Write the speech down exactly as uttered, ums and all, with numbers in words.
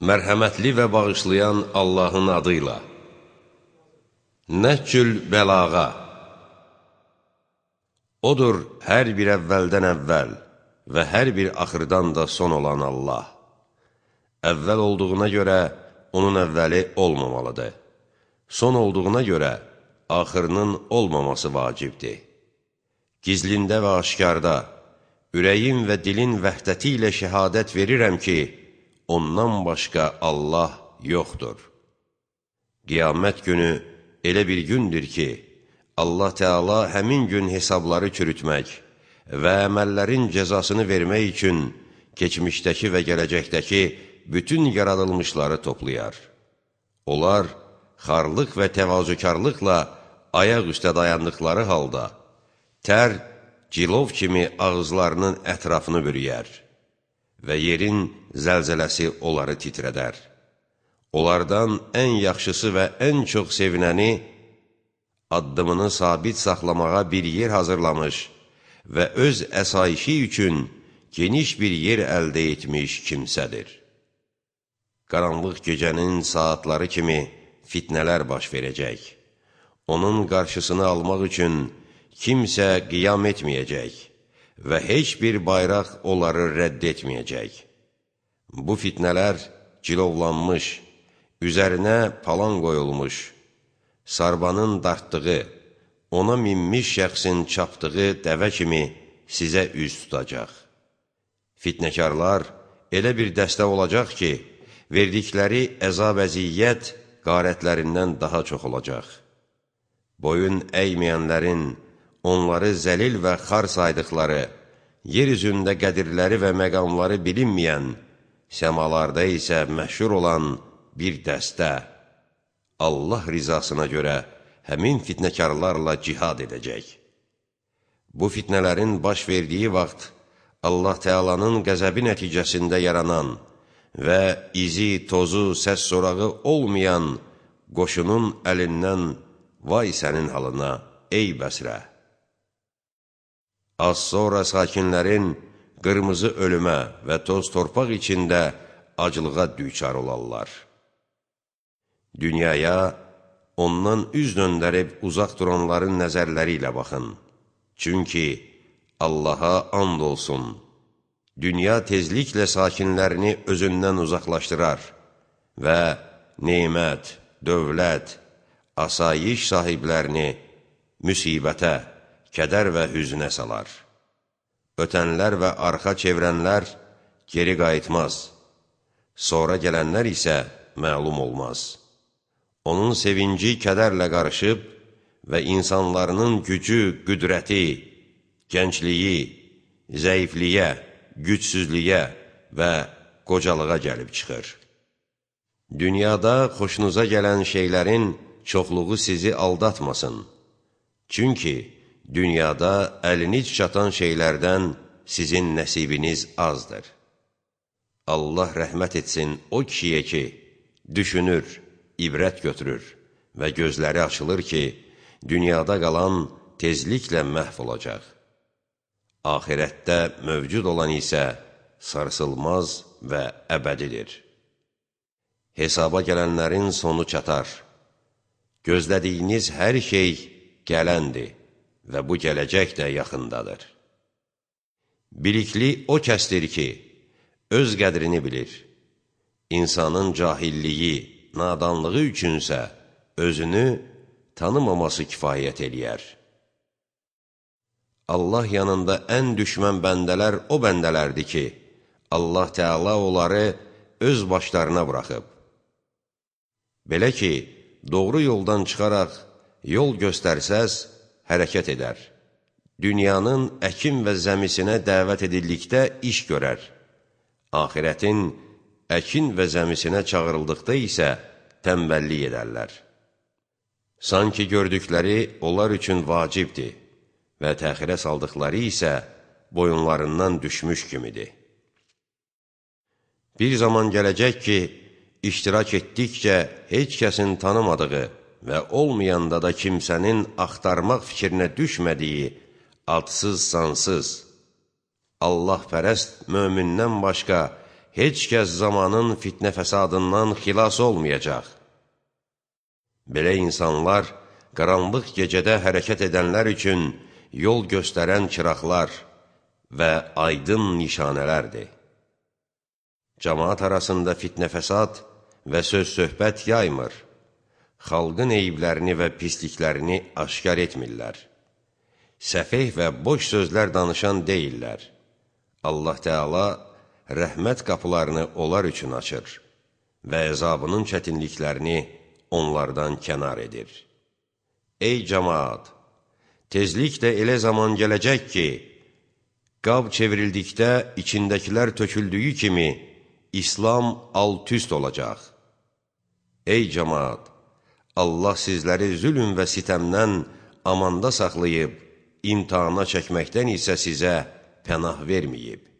Mərhəmətli və bağışlayan Allahın adıyla. Nəhcül bəlağa. Odur hər bir əvvəldən əvvəl və hər bir axırdan da son olan Allah. Əvvəl olduğuna görə onun əvvəli olmamalıdır. Son olduğuna görə axırının olmaması vacibdir. Gizlində və aşkarda, ürəyin və dilin vəhdəti ilə şəhadət verirəm ki, ondan başqa Allah yoxdur. Qiyamət günü elə bir gündür ki, Allah Teala həmin gün hesabları çürütmək və əməllərin cəzasını vermək üçün keçmişdəki və gələcəkdəki bütün yaradılmışları toplayar. Onlar xarlıq və təvazökarlıqla ayaq üstə dayandıqları halda, tər, cilov kimi ağızlarının ətrafını bürüyər və yerin zəlzələsi onları titrədər. Onlardan ən yaxşısı və ən çox sevinəni, addımını sabit saxlamağa bir yer hazırlamış və öz əsayişi üçün geniş bir yer əldə etmiş kimsədir. Qaranlıq gecənin saatları kimi fitnələr baş verəcək. Onun qarşısını almaq üçün kimsə qiyam etməyəcək və heç bir bayraq onları rədd etməyəcək. Bu fitnələr cilovlanmış, üzərinə palan qoyulmuş, sarbanın dartdığı, ona minmiş şəxsin çapdığı dəvə kimi sizə üz tutacaq. Fitnəkarlar elə bir dəstə olacaq ki, verdikləri əzab-əziyyət qarətlərindən daha çox olacaq. Boyun əyməyənlərin, onları zəlil və xar saydıqları, yer üzündə qədirləri və məqamları bilinməyən, səmalarda isə məşhur olan bir dəstə, Allah rizasına görə həmin fitnəkarlarla cihad edəcək. Bu fitnələrin baş verdiyi vaxt, Allah Teala'nın qəzəbi nəticəsində yaranan və izi, tozu, səs sorağı olmayan qoşunun əlindən vay sənin halına, ey Bəsrə! Az sonra sakinlərin qırmızı ölümə və toz torpaq içində acılığa düçar olarlar. Dünyaya ondan üz döndərib uzaq duranların nəzərləri ilə baxın. Çünki Allaha and olsun, dünya tezliklə sakinlərini özündən uzaqlaşdırar və nemət, dövlət, asayiş sahiblərini müsibətə, kədər və hüznə salar. Ötənlər və arxa çevrənlər geri qayıtmaz, sonra gələnlər isə məlum olmaz. Onun sevinci kədərlə qarışıb və insanların gücü, qüdrəti, gəncliyi, zəifliyə, gücsüzlüyə və qocalığa gəlib çıxır. Dünyada xoşunuza gələn şeylərin çoxluğu sizi aldatmasın. Çünki dünyada əliniz çatan şeylərdən sizin nəsibiniz azdır. Allah rəhmət etsin o kişiyə ki, düşünür, ibrət götürür və gözləri açılır ki, dünyada qalan tezliklə məhv olacaq. Ahirətdə mövcud olan isə sarsılmaz və əbədidir. Hesaba gələnlərin sonu çatar. Gözlədiyiniz hər şey gələndir və bu gələcək də yaxındadır. Bilikli o kəsdir ki, öz qədrini bilir. İnsanın cahilliyi, nadanlığı üçünsə özünü tanımaması kifayət eləyər. Allah yanında ən düşmən bəndələr o bəndələrdir ki, Allah Teala onları öz başlarına buraxıb. Belə ki, doğru yoldan çıxaraq yol göstərsəz, hərəkət edər. Dünyanın əkin və zəmisinə dəvət edildikdə iş görər. Ahirətin əkin və zəmisinə çağırıldıqda isə tənbəllik edərlər. Sanki gördükləri onlar üçün vacibdir və təxirə saldıqları isə boyunlarından düşmüş kimidir. Bir zaman gələcək ki, iştirak etdikcə heç kəsin tanımadığı və olmayanda da kimsənin axtarmaq fikrinə düşmədiyi adsız, sansız, Allah pərəst mömindən başqa heç kəs zamanın fitnə fəsadından xilas olmayacaq. Belə insanlar, qaranlıq gecədə hərəkət edənlər üçün yol göstərən çıraqlar və aydın nişanələrdir. Cəmaat arasında fitnə fəsad və söz-söhbət yaymır, xalqın eyiblərini və pisliklərini aşkar etmirlər. Səfeh və boş sözlər danışan deyirlər. Allah Teala rəhmət qapılarını onlar üçün açır və əzabının çətinliklərini onlardan kənar edir. Ey cəmaat! Tezliklə elə zaman gələcək ki, qab çevrildikdə içindəkilər töküldüyü kimi İslam alt-üst olacaq. Ey cəmaat! Allah sizləri zülm və sitəmdən amanda saxlayıb, imtihana çəkməkdən isə sizə pənah verməyib.